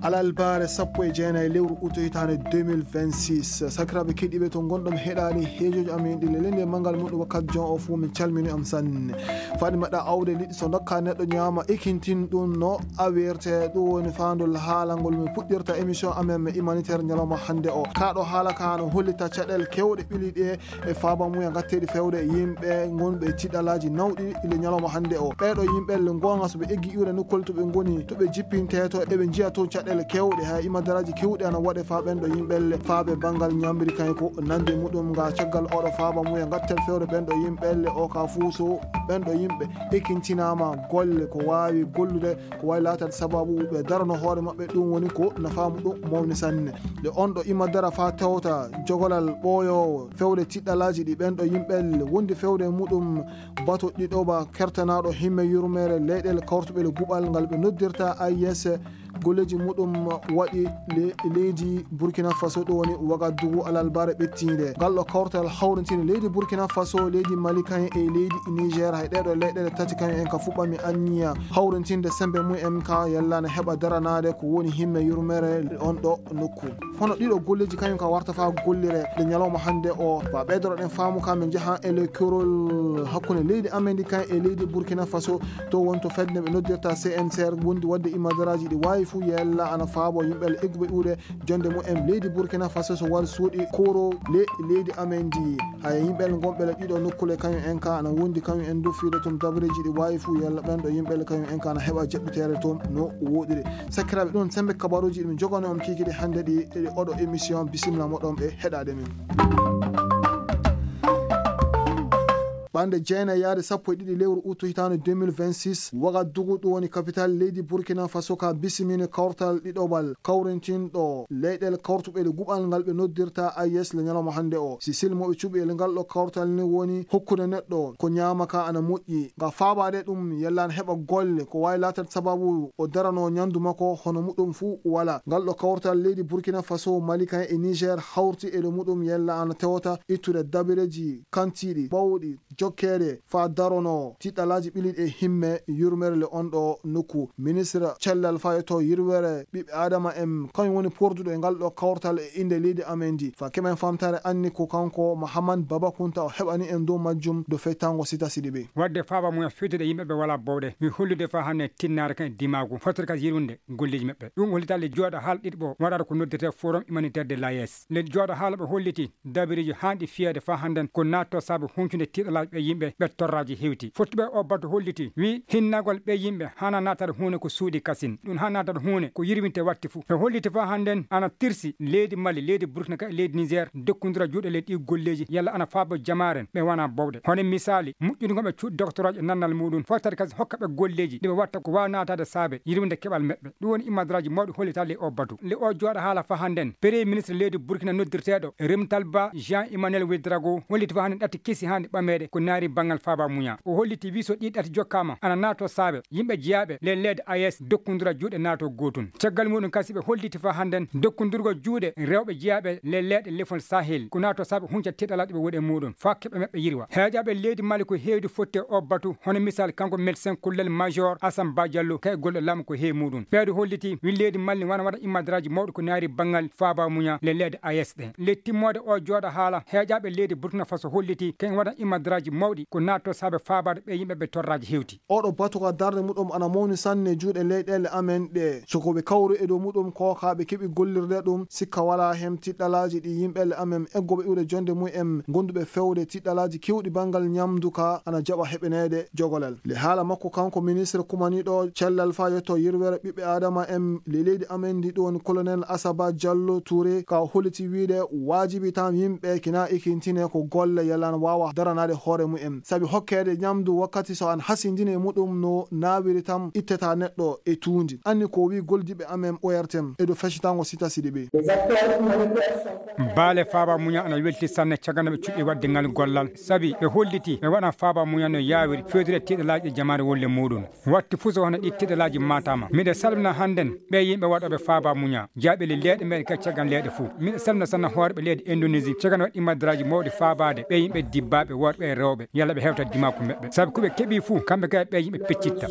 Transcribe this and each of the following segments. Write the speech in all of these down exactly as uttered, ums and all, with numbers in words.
Alalbaare sappo e jeenayi lewru uto hitaande deux mille vingt-six. Sakiraaɓe keɗiiɓe to ngonɗon heɗaani heejooji amen ɗi lelende manngal muɗum wakkati jon o fuu, min calmini am sanne. Faɗi maɗa awde liɗɗi so ndokka neɗɗo ñaama, ekintin ɗum no awirte. Ɗum woni faandol haalangol mi puɗɗirta émission amen humanitaire ñalawma hannde o. Kaɗo haala ka no hollita caɗeele kewɗe ɓili ɗe e faaba muya gatteeɗi fewde e yimɓe ngonɓe e tiɗalaaji nawɗi le ñalawma hannde o. Ɓeeɗo yimɓe le ngonga so ɓe eggi iwre nokkol to ɓe ngoni, to ɓe jippinte to, eɓe njiya toon caɗeele kewɗe, hay imadaraaji kewɗi ana waɗe faa ɓen ɗo yimɓe le faaɓe banngal ñaamri kañ ko nandi muɗum nga caggal oɗo faaba muya gattel fewde ɓen ɗo yimɓe le o ka fuu so ɓen ɗo yimɓe ekintinaama golle ko waawi gollude ko wayi laatata sababu ɓe darano hoore maɓɓe, ɗum woni ko nafaamu ɗum mawni sanne. Nde on ɗo ima dara faa tewta jogolal ɓooyoowo fewde tiɗɗalaaji ɗi ɓen ɗo yimɓe wondi fewde muɗum bato ɗiɗoɓa kertanaaɗo himme yurmeere leyɗeele kawrutuɓe le guɓal ngal ɓe noddirta A I S, golleeji muɗum waɗi le-, leydi Burkina Faso, ɗum woni Wagadugu alalbare ɓettiinde. Ngal ɗo kawtal hawrintini leydi Burkina Faso, leydi Mali kañ e leydi Niger, hay ɗeeɗo leyɗeele tati kañum en ka fuɓɓami anniya hawrintinde sembe mum en ka yalla ne heɓa daranaade ko woni himme yurmere on ɗo nokku. Hono ɗiɗo golleeji kañum ka warta faa gollire nde ñalawma hannde o. Faa ɓeydoro ɗen faamu ka min njaha e le korol hakkunde leydi amen ndi kañ e leydi Burkina Faso, to won to fedde ɓe noddirta C N C R wondi waɗde imadaraaji ɗi waawi fuu yella ana faabo yimɓe le egguɓe iwde jonde mum en leydi Burkina Faso so wari suuɗi koro le leydi amen ndi. Haya yimɓe le gonɓe le ɗiɗo nokkule kañum en ka ana wondi kañum en du fiide tun dabareeji ɗi waawi fuu yella ɓen ɗo yimɓe le kañum en ka ana heɓa jaɓɓiteere toon no woɗiri. Sakiraaɓe, ɗum sembe kabaruuji ɗi min jogano on kiikiiɗe hannde ɗi e oɗo émission. Bisimilla moɗon ɓe heɗaade min. Ɓande jeenayi yaade sappo e ɗiɗi lewru utu hitaande deux mille vingt-six, Wagadugu, ɗum woni kapital leydi Burkina Faso, ka bisimini kawtal ɗiɗoɓal kawrintinɗo leyɗeele kawrutuɓe le guɓal ngal ɓe noddirta A I S le ñalawma hannde o. Si silmo ɓe cuɓi e le ngal ɗo kawtal ni woni hokkude neɗɗo ko ñaama ka ana moƴƴi. Nga faabaade ɗum yalla ana heɓa golle ko waawi laatata sababu o darano ñandu makko hono muɗum fuu wala. Ngal ɗo kawtal leydi Burkina Faso, Mali kañ e Niger hawti e le muɗum yalla ana tewta ittude dabareeji kantiiɗi bawɗi jokkeede faa darono tiɗɗalaaji ɓiliiɗi e himme yurmeere le on ɗo nokku. Ministre cellal fayotoo yurmeere ɓiɓɓe Aadama en, kañum woni porduɗo e ngal ɗo kawtal e innde leydi amen ndi. Faa keɓen famtaare anni ko kanko Mahaman Baba Kunta o heɓani en dow majjum dow fettango Sita Sidibe. Waɗde faaba mum e fewtude yimɓe ɓe walaa bowɗe. Mi hollude faa hannde tinnaare kan e dimaagu, fottere kas yirwinde golleeji maɓɓe. Ɗum hollitaali jooɗo haala ɗiɗi ɓo waɗata ko noddirtee Forum Humanitaire de l'A E S. Le jooɗo haala ɓe holliti dabareeji haanɗi fiyeede faa hannden ko naatto saabe huncunde tiiɗalaaji ɓe yimɓe ɓe torraaji hewti. Fottuɓe o batu holliti, wi hinnagol ɓe yimɓe hana naatata huune ko suuɗi kasin. Ɗum hana naatata huune ko yirwinte watti fuu. Ɓe holliti faa hannden ana tirsi leydi Mali, leydi Burkina ka e leydi Niger dokkundira juuɗe ley ɗi golleeji yalla ana faabo jamaaren ɓe wana bowɗe. Hono misaali, moƴƴude ngol ɓe cuuɗi doktoraaji e nannal muɗum, fottata kasi hokka ɓe golleeji ɗi ɓe watta ko waawa naataade saabe yirwinde keɓal maɓɓe. Ɗum woni imadaraaji mawɗi hollitaali ley o batu. Le o jooɗo haala faa hannden, Premier ministre leydi Burkina noddirteeɗo Remtalba Jean Emmanuel Ouedraogo holliti faa hannden ɗatti kesi haanɗi ɓameede ko naari banngal faaba muña. O holliti wi so ɗi ɗatti jokkaama ana naato saabe yimɓe jeyaaɓe le leede A E S dokkundira juuɗe naato gootun. Caggal muɗum kasi ɓe holliti faa hannden dokkundirgol juuɗe rewɓe jeyaaɓe le leeɗe lefol Sahel ko naato saabe hunca tiiɗalaaji ɓe woni e muɗum faa keɓe maɓɓe yirwa. Heeƴaaɓe leydi Mali ko heewdi fotti e o batu, hono misal kanko médecin colonel major Assane Ba Diallo ka e golle laamu ko heewi muɗum. Ɓeeɗo holliti wi leydi Mali wana waɗa imadaraaji mawɗi ko naari banngal faaba muña le leeɗe A E S ɗen. Le timmoode o jooɗo haala, heeƴaaɓe leydi Burkina Faso holliti kañ waɗa imadaraaji mawɗi ko naatto saabe faabaade ɓe yimɓe ɓe torraaji hewti. Oɗo batu ka darnde muɗum ana mawni sanne juuɗe leyɗeele amen ɗe. So ko ɓe kawru e dow muɗum ko ka ɓe keɓi gollirde ɗum, sikka walaa heen tiɗɗalaaji ɗi yimɓe le amen eggoɓe iwde jonde mum en gonduɓe fewde tiɗɗalaaji kewɗi banngal ñamdu ka ana jaɓa heɓaneede jogolal. Le haala makko kanko ministre kumaniiɗo cellal faa yetto yirwere ɓiɓɓe Aadama en le leydi amen ndi ɗum woni colonel Assane Ba Diallo Touré ka holliti wiide waajibi tan yimɓe kina ekintine ko golle yalla ana waawa daranaade hoore mum en. Sabi hokkeede ñamdu wakkati so an hasindini e muɗum no naawiri tan ittata neɗɗo e tuundi. Anni ko wi goldiɓe amen O R T M e dow feccitango Sita Sidibe. Baale faaba muña ana welti sanne caggal no ɓe cuɓi waɗde ngal gollal. Sabi ɓe holliti ɓe waɗan faaba muña no yaawiri fewtire tiiɗalaaji e jamaare wolle muɗum. Watti fuu so hono ɗi tiiɗalaaji maataama. Miɗo salmina hannden ɓe yimɓe waɗooɓe faaba muña. Jaaɓe le leeɗe meɗen kadi caggal leeɗe fuu. Miɗo salmina sanne hooreɓe leydi Indonésie caggal waɗi imadaraaji mawɗi faabaade ɓe yimɓe dibbaaɓe worɓe e rewɓe. Yalla ɓe hewta dimaaku maɓɓe. Sabi ko ɓe keɓi fuu kamɓe kadi ɓe yimɓe peccitta.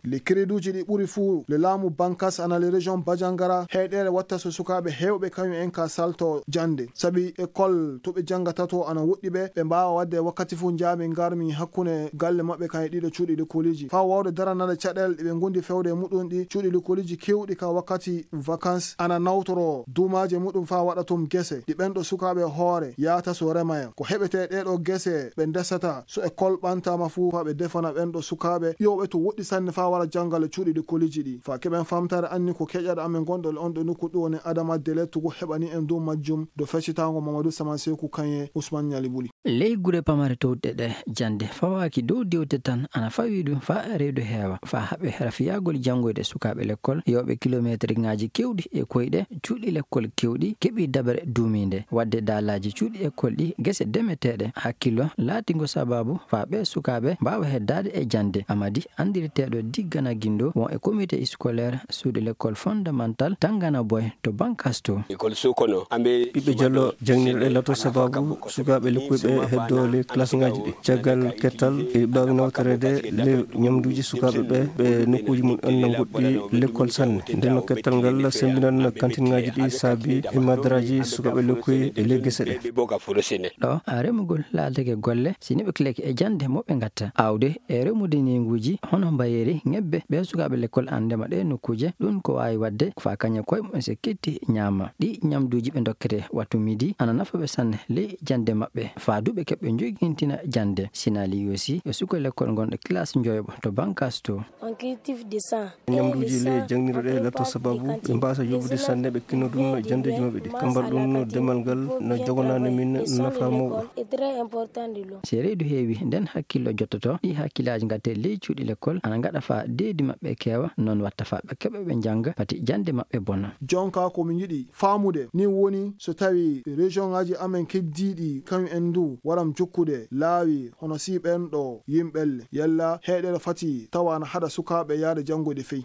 Le créduuji ɗi ɓuri fuu le laamu Bankas ana le région Bajangara, heyɗeere watta so sukaaɓe heewɓe kañum en ka salto jannde. Sabi école to ɓe janngata to ana woɗɗi ɓe, ɓe mbaawa waɗde wakkati fuu njaami ngarmi hakkunde galle maɓɓe kañe ɗiɗo cuuɗi likoliiji. Faa waawde daranade caɗeele ɗe ɓe ngondi fewde e muɗum ɗi, cuuɗi likoliiji keewɗi ka wakkati vacances ana nawtoro duumaaje muɗum faa waɗa tum gese ɗi ɓen ɗo sukaaɓe hoore yaata so rema en. Ko heɓetee ɗee ɗoo gese ɓe ndesata so école ɓantaama fuu faa ɓe defana ɓen ɗo sukaaɓe ƴooɓe to woɗɗi sanne faa wara janngal e cuuɗi likoliiji ɗi. Faa keɓen famtaare anni ko keƴaɗo amen gonɗo e on ɗo nokku ɗo woni Adama Dele Tugu heɓani en dow majjum do feccitango Mamadou Saman Seku Kanye Ousmane Ñali Buli. Ley gure pamare towɗe ɗe jannde fawaaki dow diwte tan ana fawi ɗum faa reedu heewa faa haɓe rafiyagol janngoyde sukaaɓe lekkol yooɓe kilomeetirŋaaji keewɗi e koyɗe cuuɗi lekkol keewɗi keɓi daɓere duumiinde. Waɗde daalaaji cuuɗi ekkol ɗi gese demeteeɗe hakkillo laatingo sabaabu faa ɓee sukaaɓe mbaawa heddaade e jannde. Amadi anndirteeɗo Diggana Gindo won e comité scolaire suudu lekkol fondamental Tangana Boy to Bankas to. Ɓiɓɓe Jallo jangnirɗe lato sabaabu sukaaɓe lekkoyɓe heddoole klasŋaaji ɗi. Caggal kettal e ɓaawi nawtoreede le ñamduuji sukaaɓe ɓe, ɓe nokkuuji mum en no ngoɗɗi lekkol sanne. Nden no kettal ngal sembinan kantinŋaaji ɗi saabi e madaraaji sukaaɓe lekkoy e le gese ɗe. Ɗo remugol laatake golle si neɓe kileke e jannde mo ɓe ngatta. Aawde e remude neeguuji hono mbayeeri, ŋebbe, ɓe sukaaɓe lekkol an ndema ɗe nokkuuje. Ɗum ko waawi waɗde ko faa kañe koye mum en so ketti ñaama. Ɗi ñamduuji ɓe ndokkete wattu midi ana nafa ɓe sanne ley jannde maɓɓe. Faa du ɓe keɓɓe njogintina jannde. Sinaali Yoosi e suka lekkol ngonɗo kilaas njoyoɓo to Bankas to. Ñamduuji le jangnirɗe lato sabaabu ɓe mbaasa yoɓude sanne ɓe kinno ɗum no janndeeji maɓɓe ɗi. Kambar ɗum no demal ngal no jogonaani min nafa mawɗo. Si reedu heewi nden hakkillo jottoto ɗi hakkillaaji ngatte ley cuuɗi lekkol ana ngaɗa faa deedi maɓɓe keewa non watta faa ɓe keɓa ɓe njannga pati jannde maɓɓe bona. Jonka ko min yiɗi faamude ni woni so tawi région ŋaaji amen keddiiɗi kañum en du waram jokkude laawi hono si ɓen ɗo yimɓelle yalla heyɗere fati tawa ana haɗa sukaaɓe yaade janngoyde fey.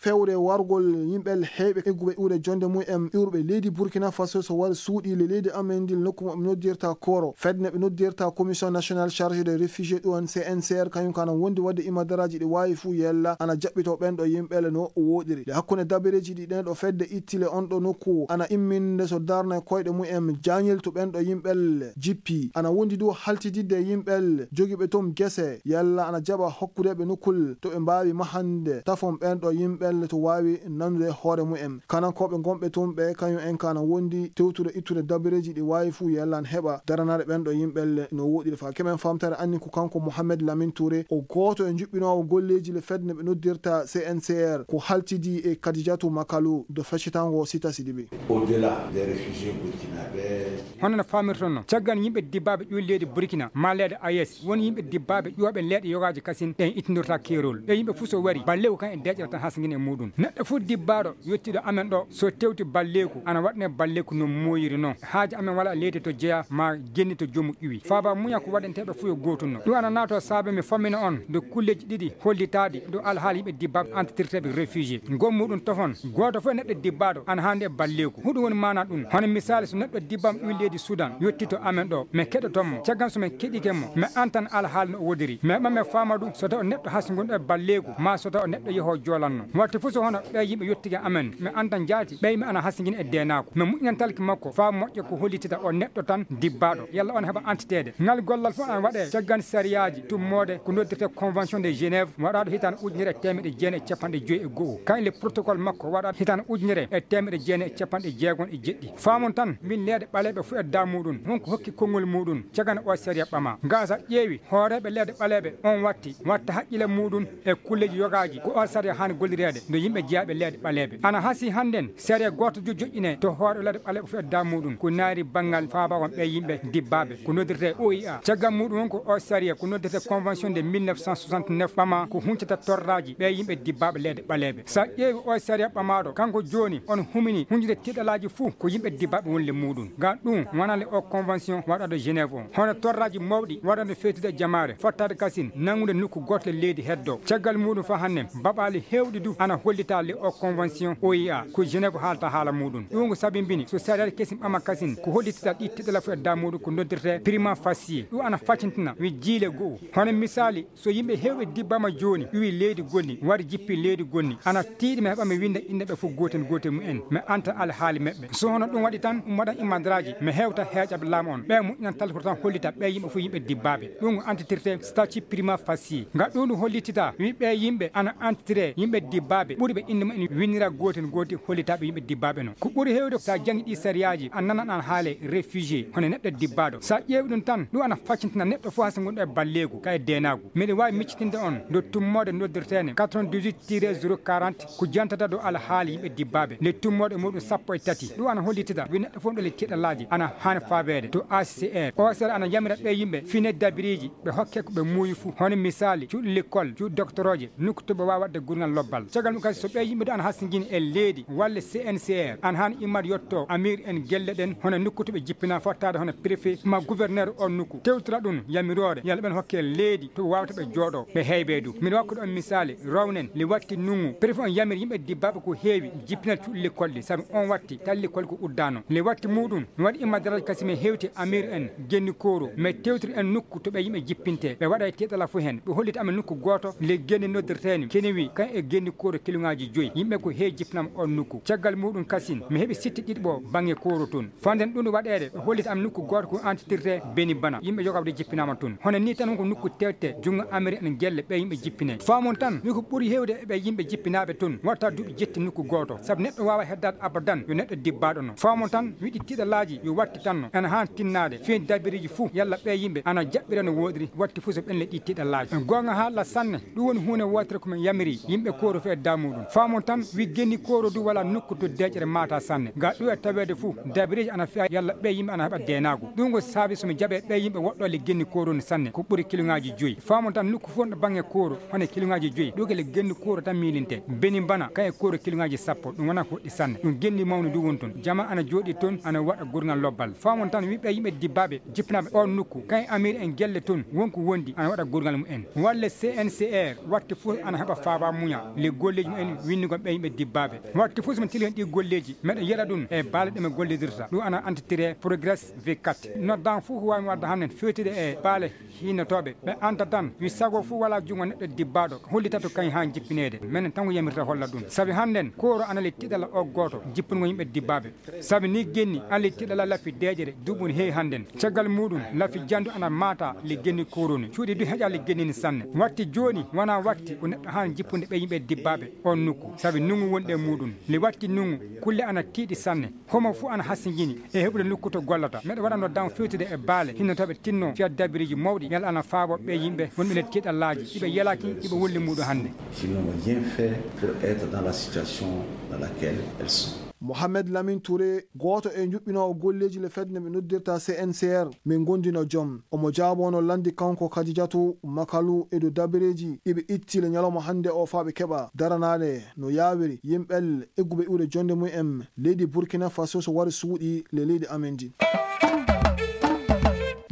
Fewre wargol yimɓe heyɓe egguɓe iwde jonde mum en iwruɓe leydi Burkina Faso so wari suuɗi le leydi amen ndi nokku mo ɓe noddirta koro fedde ɓe noddirta Commission Nationale Chargée des Réfugiés ɗon C N C R kañum kana wondi wadde imadaraaji ɗi waawi fuu yella ana jaɓɓito ɓen ɗo yimɓe no woɗiri le hakkunde dabareeji ɗi ɗen ɗo fedde ittile on ɗo nokku ana imminde so darna koyɗe mum en jañiltu ɓen ɗo yimɓe jippi ana wondi du haltididde yimɓe jogiiɓe toon gese yalla ana jaɓa hokkudeɓe nokkul to ɓe mbaawi mahande tafon ɓen ɗo yimɓe to waawi nanude hoore mum en kanankooɓe gonɓe toon ɓe kañum en kana wondi tewtude ittude dabareeji ɗi waawi fuu yalla ana heɓa daranaade ɓen ɗo yimɓe no woɗiri faa keɓen famtare anni ko kanko Mohamed Lamine Touré o gooto e njuɓɓinoowo golleeji le fedde ɓe noddirta C N C R ko haltidi e Kadijatu Makalu do feccitango Sita Sidibe. Au-delà des réfugiés burkinabés. Hono no faamirton non caggal yimɓe dibbaaɓe ƴuwi leydi Burkina maa leyɗe A E S woni yimɓe dibbaaɓe ƴuwaaɓe leyɗe yogaaji kasin ɗen ittindorta keerol ɓe yimɓe fof so wari balleeku kan e deeƴere tan hasgin e muɗum neɗɗo fof dibbaaɗo yettiiɗo amen ɗo so tewti balleeku ana waɗane balleeku no mooyiri non haaji amen wala leydi to jeya ma genni to joomu ƴuwi faaba muña ko waɗanteeɓe fof yo gootum no ɗum ana naato saabe mi fammina on nde kulleeji ɗiɗi hollitaaɗi ɗo alhaali yimɓe dibbaaɓe antitirteeɓe réfugié ngol muɗum tofon gooto fof e neɗɗo dibbaaɗo ana haandi e balleeku huɗum woni maana ɗum hono misaali so neɗɗo dibbam ɗum leydi Sudan yotti to amen ɗo mi keɗoton mo caggal so min keɗike mo mi antan alhaali no o wodiri mi heɓa mi faama ɗum so taw neɗɗo hasnguɗo e balleeku ma so taw neɗɗo yeho joolanno watti fof so hono ɓe yimɓe yottike amen mi antan jaati ɓe yimɓe ana hasngina e deenaaku mi moƴƴinantalki makko faa moƴƴa ko hollitita o neɗɗo tan dibbaaɗo yalla on heɓa antiteede ngal gollal fof ana waɗe caggal sariyaaji tummoode ko noddirte convention de Genève waɗaaɗo hitaande ujunere e teemeɗe jeenayi e capanɗe joyi e go'o kañ le protocole makko waɗaaɗo hitaande ujunere e teemeɗe jeenayi e capanɗe jeegom e jeɗɗi faamon tan min leyɗe ɓaleeɓe fof e daa muɗum honko hokki konngol muɗum caggal o sariya ɓama ngal sa ƴeewi hooreeɓe leyɗe ɓaleeɓe on watti watta haqqille muɗum e kulleeji yogaaji ko o sariya haani gollireede no yimɓe jeyaaɓe leyɗe ɓaleeɓe ana hasii hannden sariya gooto jo joƴƴine to hoore leyɗe ɓaleeɓe fof e daa muɗum ko naari banngal faabawon ɓe yimɓe dibbaaɓe ko noddirte O I A caggal muɗum on ko o sariya ko noddirte convention de mille neuf cent soixante-neuf ɓama ko huncata torraaji ɓe yimɓe dibbaaɓe leyɗe ɓaleeɓe sa ƴeewi o sariya ɓamaaɗo kanko jooni on humini hunjude tiɗalaaji fuu ko yimɓe dibbaaɓe wonle muɗum ngam ɗum wonande o convention waɗaɗo Genève on hono torraaji mawɗi waɗande fewtude e jamaare fottaade kasin nanngude nokku gooto e leydi heddo caggal muɗum faa hannde baɓaali heewɗi du ana A hollita le o convention O I A ko Genève haalta haala muɗum. Ɗum ko sabibini so sariyaji kesin ɓama kasin ko hollitita ɗi tiɗala fu e damuɗo ko noddirte prima facie. Ɗum ana facintina wi jiile go'o. Hono misali, so yimɓe hewɓe dibbama joni, ɗuwi leydi gonni, wari jippi leydi gonni, ana tiiɗi mi heɓa mi winda innde ɓe fof goten goten mumen, mi anta alhaali meɓɓe. So hono ɗum waɗi tan, mi waɗa imadraji, mi hewta heeƴaɓe laamu on. Ɓe moƴƴinan talkoro tan hollita ɓe yimɓe fof yimɓe dibbaɓe. Ɗum ko antitirte statut prima facie. Nga ɗum ɗum hollitita, wi ɓe yimɓe ana antitire yimɓe dibbaɓe. Ɓuri ɓe innde mumen winnira goten goten hollitaɓe yimɓe dibbaɓe non. Ko ɓuri hewde sa jangi ɗi sariyaji, a nanan an haale réfugié, hono neɗɗo dibbaɗo. Sa ƴeewi ɗum tan, ɗum ana faccintina neɗɗo fof hasi gonɗo e balleegu, ka e deenaagu. Miɗo waawi miccitinde on ndo tummoode noddirteene quatre-vingt-dix-huit tiret zéro quarante ko jantata ɗo alhaali yimɓe dibbaɓe. Nde tummoode muɗum sappo e tati. Ɗum ana hollitita wi neɗɗo fof ɗo le tiɗalaaji ana haani faabeede to A C R. O C R ana yamira ɓe yimɓe fine dabiriji ɓe hokke ko ɓe muuyi fuu. Hono misali, cuuɗi lekkol, cuuɗi doctoroje, nokku to ɓe waawa waɗde gurngal lobbal. Caggal mum kadi so ɓe yimɓe ɗo ana hasingini e leydi walla C N C R, ana haani immade yetto amir en gelle ɗen, hono nokku to ɓe jippina fottaade hono préfet ma gouverneur on nokku. Tewtora ɗum yamiroore, yalla ɓen hokke leydi to ɓe waawata ɓe jooɗo, ɓe heybe du. Miɗo wakkude on misali, rownen, le watti nungu, préfet on yamir yimɓe dibbaɓe ko heewi, jippinal cuuɗi lekkol ɗi, sabi on watti, tan lekkol ko uddano. Le watti muɗum, mi waɗi immade daraja kasi mi hewti amir en, genni kooro, mi tewtiri en nokku to ɓe yimɓe jippinte, ɓe waɗa e teɗala fof hen, ɓe hollita amen nokku gooto, le genni noddirteeni, kene wi, kan e genni kooro kiluŋaaji joyi, yimɓe ko heewi jippinama on nokku. Caggal muɗum kasin, mi heɓi sitte ɗiɗi ɓo baŋŋe kooro toon. Fanden ɗum waɗeede, ɓe hollita am nokku gooto ko antitirte Beni Bana. Yimɓe jogaɓe de jippinaama toon. Hono ni tan ko nokku tewte, junngo Amérique en gelle ɓe yimɓe jippine. Faamon tan, wi ko ɓuri heewde e ɓe yimɓe jippinaaɓe toon, watta duuɓi jetti nokku gooto. Sabu neɗɗo waawa heddaade abadan, yo neɗɗo dibbaaɗo no. Faamon tan, wiɗi tiɗalaaji, yo watti tan no. Ena haan tinnaade, fii dabiriiji fuu, yalla ɓe yimɓe ana jaɓɓira no wooɗiri, watti fuu so ɓenle ɗi tiɗalaaji. Goonga haala sanne, ɗum woni huunde wootere ko min yamiri yimɓe kooro fii e damuɗum. Faamon tan, wi genni kooro du wala nokku to deeƴere maata sanne. Ga ɗum e taweede fuu, dabiriiji ana fiya yalla ɓe yimɓe ana heɓa deenaagu. Ɗum ko saabi so mi jaɓe ɓe yimɓe woɗɗo le genni kooro ni sanne, ko ɓuri kiluŋaaji joyi. Faamon tan, nokku fuu no baŋŋe kooro, hono kiluŋaaji joyi. Ɗum ko le genni kooro tan miilinte. Beni Bana, kan e kooro kiluŋaaji sappo, ɗum wona ko ɗi sanne. Ɗum genni mawni du woni toon. Jama ana jooɗi toon, ana waɗa gurngal lobbal. Faamon tan, wi ɓe yimɓe dibbaaɓe, jippinaaɓe on nokku, kan e amir en gelle toon, wonko wondi, ana waɗa gurngal mum en. Walla C N C R, watti fuu ana heɓa faaba muña, le golleeji mum en winndugol ɓe yimɓe dibbaaɓe. Watti fuu so mi tili hen ɗi golleeji, meɗa yeɗa ɗum e baale ɗe mi gollidirta. Ɗum ana entité Progress V quatre. Noddan fuu ko waawi mi wadda hannde fewtude e baale hinnotooɓe. Ɓe anta tan, wi sago fuu wala junngo neɗɗo dibbaaɗo, hollita to kañ haa jippineede. Menen tan ko yamirta holla ɗum. Sabi hannden, kooro ana le tiɗala o gooto, jippungol yimɓe dibbaaɓe. Sabi ni genni, ana le tiɗala lafi deeƴere, duuɓi no heewi hannden. Caggal muɗum, lafi jandu ana maata le genni kooroni. Cuuɗi du heƴa le genni ni sanne. Watti jooni, wona watti ko neɗɗo haan jippunde ɓe yimɓe dibbaaɓe on nokku. Sabi nungu wonɗi e muɗum. Le watti nungu, kulle ana tiiɗi sanne. Homo fuu ana hasingini e heɓude nokku to gollata. Meɗa waɗa no daŋ fewtude e baale hinnotooɓe tinno fiya dabiriji mawɗi, yalla ana faabo ɓe yimɓe wonɓe nder tiiɗallaaji, iɓe yelaki, iɓe wolli muɗum hannde. Qui n'ont rien fait pour être dans la situation dans laquelle elles sont. Mohamed Lamine Touré, gooto e njuɓɓinoowo golleeji le fedde nde ɓe noddirta C N C R, min gondino joom. Omo jaaboono lanndi kanko Kadijatu Makalu e dow dabireeji ɗi ɓe itti le ñalawma hannde o faa ɓe keɓa daranaade no yaawiri yimɓe egguɓe iwde jonnde mum en leydi Burkina Faso so wari suuɗi le leydi amen ndi.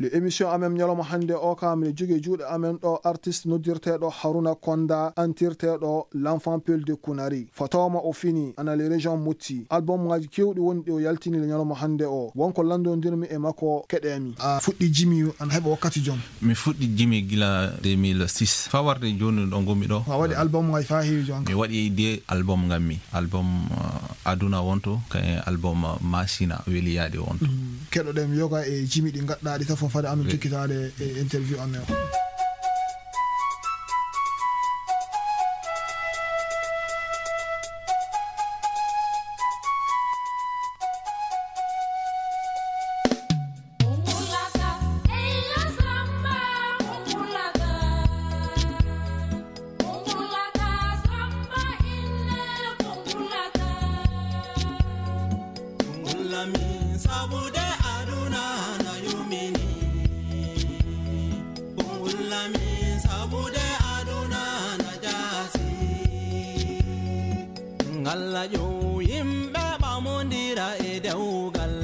Le émission amen ñalawma hannde o ka miɗo jogii juuɗe amen ɗo artiste noddirteeɗo Haruna Konda, antirteeɗo L'Enfant Peul de Kunari. Fatawa ma o fini, ana les régions motti. Album ngaji kewɗi woni ɗi o yaltini le ñalawma hannde o. Wonko lanndondirmi e makko, keɗeemi. A fuɗɗi jimi, ana heɓa wakkati joom? Mi fuɗɗi jimi gila deux mille six. Faa warde jooni ɗo ngonmi ɗo. A waɗi album ngaji faa heewi jooni? Mi waɗi de album ngammi. Album, uh, Aduna wonto, kay album, uh, Masina weli yaade wonto. Mm. Keɗoɗen yoga e jimi ɗi ngaɗɗaa ɗi tafon fade amin jokkitaade e interview amen o. Kungulami sabude aduna na yumini. Kungulami sabude aduna na jasi. Ngalla yo yimɓe ɓamondira e dewgal.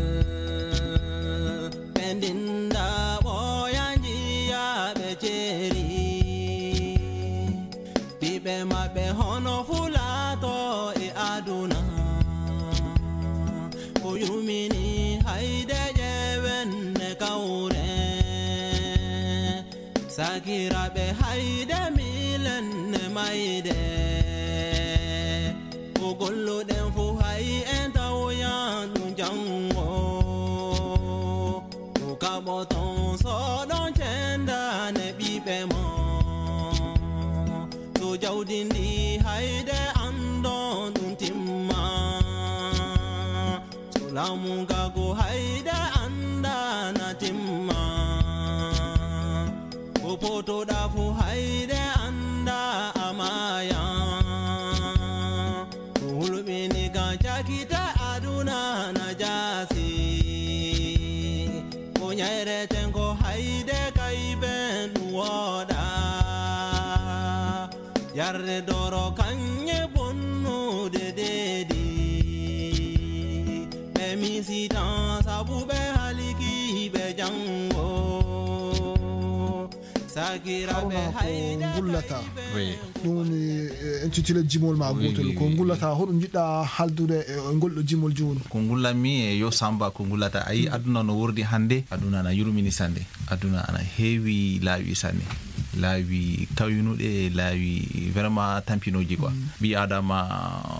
Ɓe ndinda ɓooya njiya ɓe ceeri. Ɓiɓɓe maɓɓe hono fulaato Sakiraaɓe, hayde miilenne mayde. Ko golluɗen fuu hay en tawoyan ɗum janngo. Ko kaɓoton so ɗon cendane ɓiɓɓe mon. To jawdi ndi hayde anndon ɗum timma. So laamu nga go hayde annda na timma. Ko potoɗa fuu hayde annda a maaya. Ko hulɓini ka cakite aduna na jaasi. Ko ñayreten ko hayde kay ben ɗum wooɗa. Yarde doro kañe bonnude deedi. Ɓe misitan sabu ɓe haliki ɓe janngo. Sakiraaɓe, haruna ko hayde ngullata kay ben. Oui. Ɗum woni, eh, intitulé jimol ma. Oui, gootol oui, ko oui, ngullata, oui. Hoɗum njiɗɗa haldude e ngol ɗo jimol jooni? Ko ngullanmi e yo Samba ko ngullata. Ayi, mm, aduna no wordi hannde, aduna na yurmini sannde. Aduna ana heewi laawi sanne, laawi kawnuɗe, laawi vraiment tampinooji quoi. Mm. Ɓii Aadama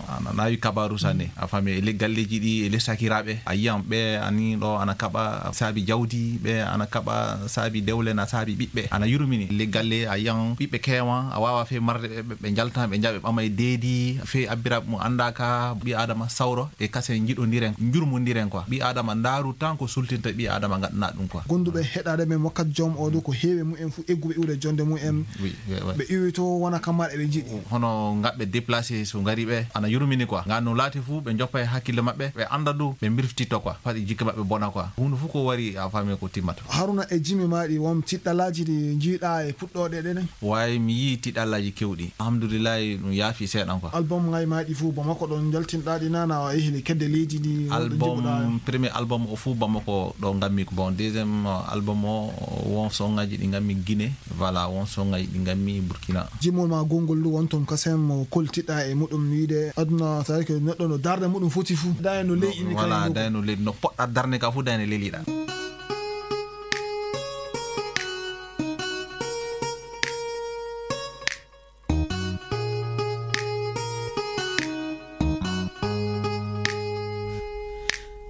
ana naawi kabaaru sanne. Mm. A faami, e le galleeji ɗi, e le sakiraaɓe, a yiyan ɓe ani ɗo ana kaɓa saabi jawdi, ɓe ana kaɓa saabi dewle, na saabi ɓiɓɓe, ana yurmini. Le galle, a yiyan ɓiɓɓe keewan, a waawa fey marde ɓe, ɓe, ɓe njaltan, ɓe njaɓa, ɓe ɓama e deedi, fey abbiraaɓe mum anndaaka, ɓii Aadama sawro. E kasen njiɗondiren, njurmondiren quoi. Ɓii Aadama ndaaru tan ko sultinta ɓii Aadama ngaɗana ɗum quoi. Gonduɓe heɗaade men wakkat jom o ɗo ko heewi mumen fuu egguɓe iwde jonde mumen. Oui, oui, oui. Ɓe iwi to wona kamar eɓe njiɗi. Hono ngaɓɓe déplacé so ngari ɓe, ana yurmini quoi. Ngan no laati fuu ɓe njoppa e hakkille maɓɓe, ɓe annda ɗum, ɓe mbirftito quoi. Faɗi jikke maɓɓe bona quoi. Huunde fuu ko wari a faami ko timmata. Haruna, e jimi maaɗi won tiɗɗalaaji ɗi njiiɗa e puɗɗooɗe ɗen? Way, mi yii tiɗɗalaaji kewɗi. Alhamdulillahi, ɗum yaafi seeɗan quoi. Album ngaji maaɗi fuu, Bamako ɗon njaltinɗa ɗi nana, o yehi le kedde leydi ndi, wonɗo album, jiɓuɗa? Premier album o fuu Bamako ɗo ngammi ko. Bon, deuxième, euh, album o, won songaji ɗi ngammi Guinée. Voilà, won songaji ɗi ngammi Burkina. Jimol ma gongol ndu won ton kasem mo koltiɗa e muɗum wiide aduna, c'est-à-dire que neɗɗo no darde muɗum foti fuu. Dayno ley inni. Voilà, kay dayno ley, no poɗɗa darde ka fuu, dayno leliɗa.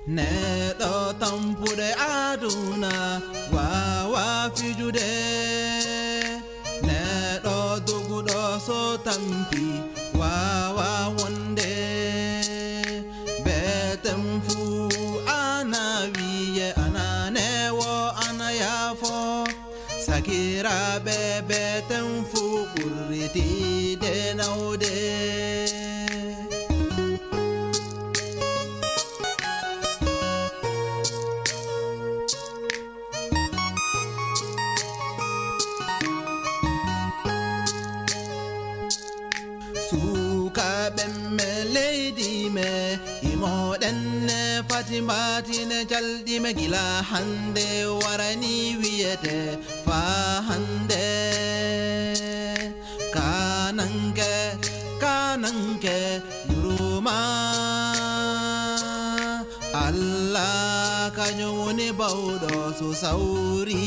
Neɗɗo tampuɗe aduna wawa fijude. Neɗɗo doguɗo so tampi wawa wonde. Beten fuu ana wiye ana newo ana yaafo. Sakiraaɓe, beten fuu ɓurritiide nawde. Suukaaɓe me leydi me, imoɗen ne fati mbatine calɗi me gila hannde warani wiyete faa hannde. Kananke, kananke, yuruma. Allah kañum woni bawɗo so sawri.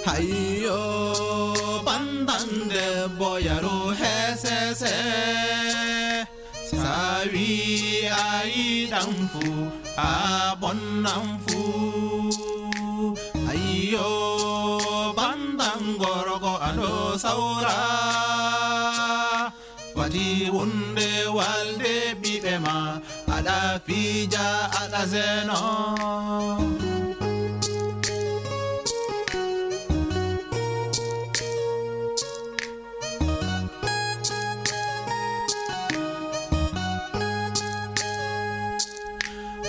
Hayyo, bandan debbo yaru hesese. Sa wi a yiɗan fu, a bonnan fu. Ayyo, bandan gorko a ɗo sawra. Fati wonde walde ɓiɓɓe ma, aɗa fija, aɗa zeno.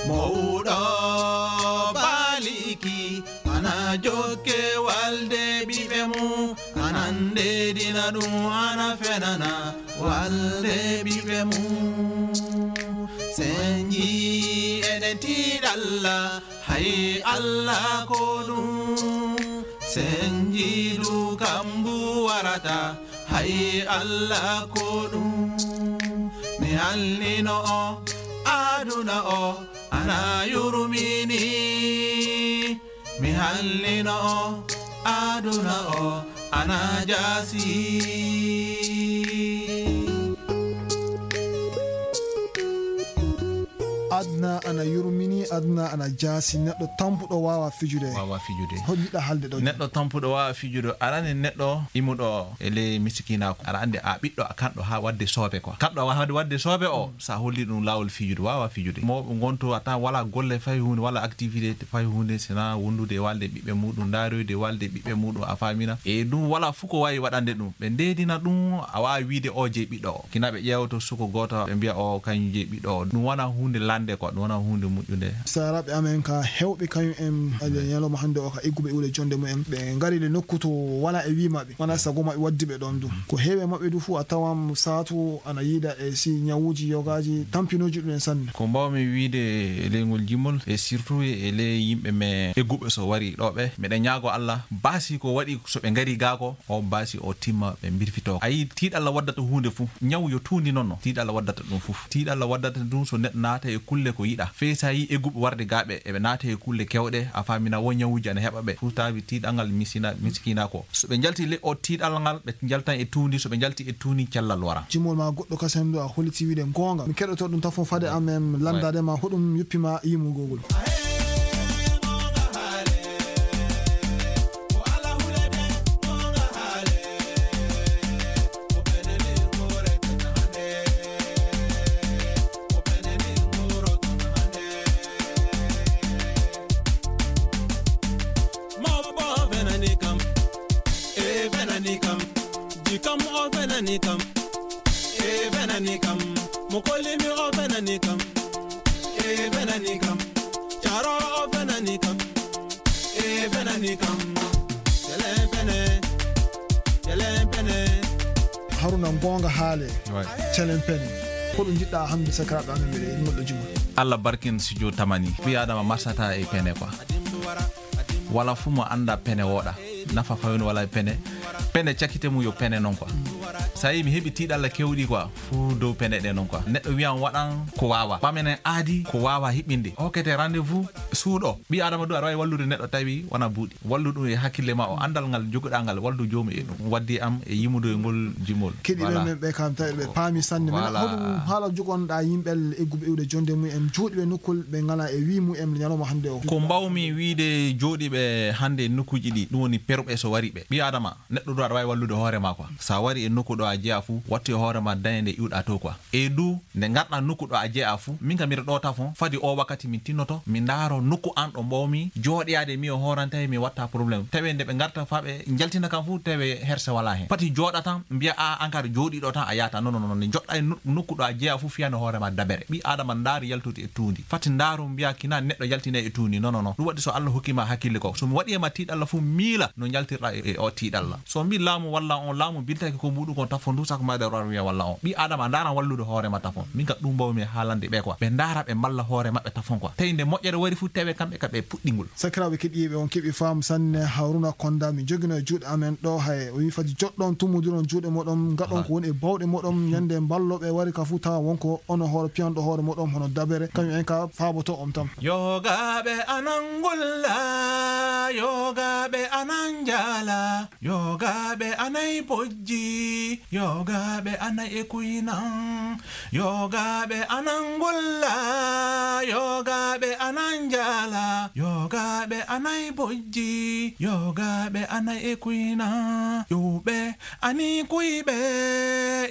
Mawɗo baliki ana jokke walde ɓiɓɓe mum, ana ndedina ɗum, ana fenana walde ɓiɓɓe mum. Senji eɗen tiiɗalla, hay Allah ko ɗum. Senji du kam Arata hay Allah ko ɗum mi halnino o aduna o ana yurmini mi halnino o aduna o ana jaasi. Aduna ana yurmini, aduna ana jaasi. Neɗɗo tampuɗo waawa fijude. Waawa fijude. Hol yiɗa halde ɗo? Neɗɗo tampuɗo waawa fijude. Arani neɗɗo imuɗo e ley misikinaaku. Aɗa anndi a ɓiɗɗo a kanɗo haa wadde soobe quoi. Kanɗo a wadde, wadde soobe o, sa holli ɗum laawol fijude, waawa fijude. Mawɓe ngonto a tan wala golle fay huunde, wala activité fay huunde, sina wondude e walde ɓiɓɓe muɗum, ndaaroyde walde ɓiɓɓe muɗum, a faamina. E ɗum wala fuu ko waawi waɗande ɗum. Ɓe ndeedina ɗum, a waawa wiide o jeyi ɓiɗɗo o. Kina ɓe ƴeewoto suko gooto, ɓe mbiya o kañum jeyi ɓiɗɗo o. Ɗum wona huunde lande quoi, ɗum wona huunde moƴƴunde. Saaraaɓe amen ka heewɓe kañum en, ale ñalawma hannde o ka egguɓe iwde jonde mumen. Ɓe ngari le nokku to wala e wii maɓɓe, wona sago maɓɓe waddi ɓe ɗon du. Ko heewi e maɓɓe du fuu a tawan saatu ana yiida e si ñawuuji yogaaji tampinooji ɗum en sanne. Ko mbawmi wiide e ley ngol jimol e surtout e ley yimɓe men egguɓe so wari ɗo ɓe, miɗen ñaago Allah, baasi ko waɗi so ɓe ngari gaa ko, o baasi o timma ɓe mbirfitoo. A yii tiiɗalla waddata huunde fuu, ñaw yo tuundi noon no, tiiɗalla waddata ɗum fuu. Tiiɗalla waddata ɗum so neɗɗo naata e kulle ko yiɗa. Fey sa yii egguɓe warde gaa ɓe, eɓe naata e kulle kewɗe, a faamina wo ñawuuji ana heɓa ɓe. Fuu taawi tiiɗal ngal misina, miskiina ko. So ɓe njalti le o tiiɗal ngal, ɓe njaltan e tuundi, so ɓe njalti e tuundi, cellal wara. Jimol ma goɗɗo kasen ɗo a holliti wiide goonga. Mi keɗoto ɗum tafon fade am em lanndade ma hoɗum yoppi ma yimugol ngol. Mawɓe o fenani kam, e fenani kam, jikam o fenani kam, e fenani kam, mo kolimi o fenani kam, e fenani kam, caro o fenani kam, e fenani kam. Celen pene, celen pene. Haruna, goonga haale. Celen pene. Ko ɗum njiɗɗa hannde sakiraaɓe amen mbiɗa e moɗɗo juma? Allah barkin studio tamani. Ɓii Adama marsata e pene quoi. Wala fuu mo annda pene wooɗa. Nafa fawino wala e pene. Pene cakite mum yo pene noon quoi. Sa yii mi heɓi tiiɗalla kewɗi quoi. Fuu dow pene ɗe noon quoi. Neɗɗo wiyan waɗan ko waawa. Ɓamenen aadi ko waawa hiɓɓinde. Hokkete rendez-vous suuɗo. Ɓii Adama du aɗa waawi wallude neɗɗo tawi wona buuɗi. Wallu ɗum e hakkille ma o, anndal ngal joguɗaa ngal, wallu joomum e ɗum. Waddi am e yimude e ngol jimol. Keɗiiɓe men ɓe kam tawi ɓe paami sanne. Min hoɗum haala jogonɗaa yimɓe egguɓe iwde jonde mum en, jooɗiiɓe nokkol ɓe ngalaa e wii mum en ñalawma hannde o? Ko mbawmi wiide jooɗiiɓe hannde e nokkuuji ɗi, ɗum woni perɓe so wari ɓe. Ɓii Adama, neɗɗo du aɗa waawi wallude hoore ma quoi. Sa wari e nokku ɗo a jeyaa fuu, wattu e hoore ma dañde iwɗaa to quoi. E du, nde ngarɗaa nokku ɗo a jeyaa fuu, min kam miɗo ɗo tafon, fadi o wakkati min tinnoto, min ndaaro nokku an ɗo mbawmi jooɗiyaade, mi o hoorantay, mi watta problème. Tawi nde ɓe ngarta faa ɓe njaltina kam fuu, tawi herse walaa heen. Pati jooɗa tan, mbiya a, an kadi jooɗiiɗo tan a yaata. Non, non, non, nde njoɗɗaa e no-, nokku ɗo a jeyaa fuu, fiyana hoore ma dabere. Ɓii Adama ndaar yaltude e tuundi. Fati ndaaru mbiya kina neɗɗo yaltina e tuundi. Non, non, non. Ɗum waɗi so Allah hokki ma hakkille ko. So mi waɗi e ma tiiɗalla fuu, miila no njaltirɗaa e, e o tiiɗalla. So mbi laamu walla on, laamu biltaki ko muɗum kon tafon du, sako ma ɗe wiya walla on. Ɓii Adama ndaaran wallude hoore ma tafon. Min ka ɗum mbawmi haalande ɓe quoi. Ɓe ndaara ɓe mballa hoore maɓɓe tafon quoi. Tawi nde moƴƴere wari fuu tawe kamɓe ka ɓe puɗɗingol. Sakiraaɓe keɗiiɓe on keɓi faamu sanne Haruna Konda mi jogino e juuɗe amen ɗo hay o wi fati joɗɗon tummudiron juuɗe moɗon ngaɗon ko woni e bawɗe moɗon ñande mballo ɓe wari ka fuu tawa wonko ono hoore piyanɗo hoore moɗon hono dabere kañum en ka faaboto on tan. Yogaaɓe anan ngulla, yogaaɓe anan njaala, yogaaɓe anay bojji, yogaaɓe anay e kuynan, yogaaɓe anan ngulla, yogaaɓe anan njaala, yogaaɓe anay bojji, yogaaɓe anay e kuynan. Ƴuwɓe ani kuyɓe,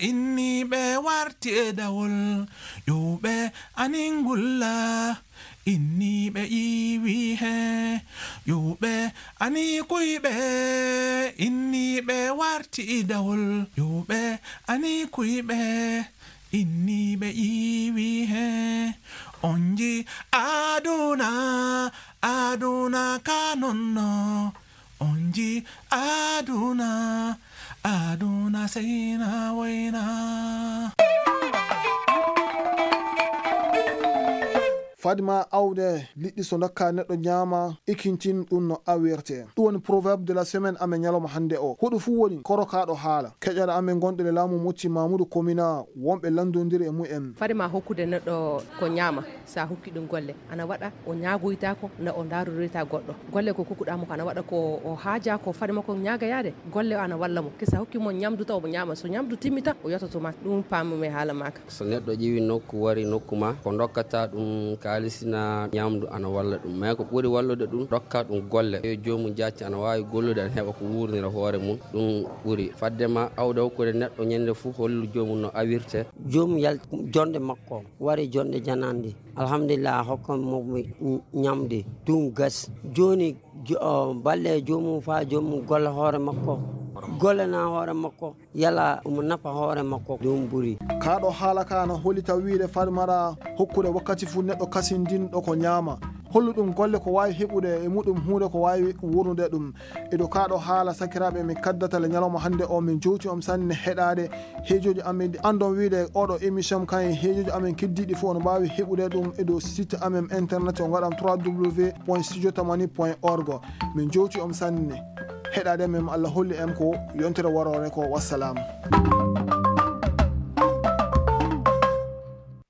inniiɓe warti e dawol. Ƴuwɓe ani ngulla, inniiɓe ƴiiwi he. Ƴuwɓe ani kuyɓe, inniiɓe warti dawol. Ƴuwɓe ani kuyɓe, inniiɓe ƴiiwi he. On nji aduna, aduna ka nonno. On nji aduna, aduna seyna woyna. Fadima awde liɗɗi so ndokka neɗɗo ñaama, ikintin ɗum no awirte. Ɗum woni proverbe de la semaine amen ñalawma hannde o. Huɗo fuu woni korokaaɗo haala. Keƴaɗo amen gonɗo e laamu Mocci Mamudu Komina, wonɓe lanndondiri e mumen. Fadima hokkude neɗɗo ko ñaama, sa hokki ɗum golle, ana waɗa o ñaagoytaako, na o ndaaroroyta goɗɗo. Golle ko kokkuɗaa mo ko ana waɗa ko o haajaa ko fadima ko ñaagayaade. Golle o ana walla mo. Kisa hokki mo ñamdu taw mo ñaama. So ñamdu timmi tan, o yototo ma. Ɗum paamumi haala maaka. So neɗɗo ƴeewi nokku, wari nokku ma, ko ndokkata ɗum kaalisi na ñamdu ana walla ɗum. Mais ko ɓuri wallude ɗum, dokka ɗum golle. Yo joomum jacci ana waawi gollude, ana heɓa ko wuurnira hoore mum. Ɗum ɓuri. Fadde ma awde hokkude neɗɗo ñande fof, hollu joomum no awirte. Joomum yalti jonde makko, wari jonde janande. Alhamdulillah, hokkan mo mi ñamde. Ɗum gas. Jooni, jo-, o, balle joomum faa joomum golla hoore makko. Gollana hoore makko. Yala omo nafa hoore makko. Ɗum ɓuri. Kaa ɗo haala ka no hollita wiyde Fadmata hokkude wakkati fuu neɗɗo kasindinɗo ko ñaama. Hollu ɗum golle ko waawi heɓude e muɗum huunde ko waawi wurnude ɗum. E dow kaa ɗo haala, sakiraaɓe, min kaddata le ñalawma hannde o, min jowti on sanne heɗaade heejooji amen ɗi anndon wiyde oɗo émission kan e heejooji amen keddiiɗi fof no mbaawi heɓude ɗum e dow site amen internet o ngaɗam trois W point studio tamani point org. Min jowti on sanne heɗaade men, Allah holli en ko yontere waroore ko. Wassalam.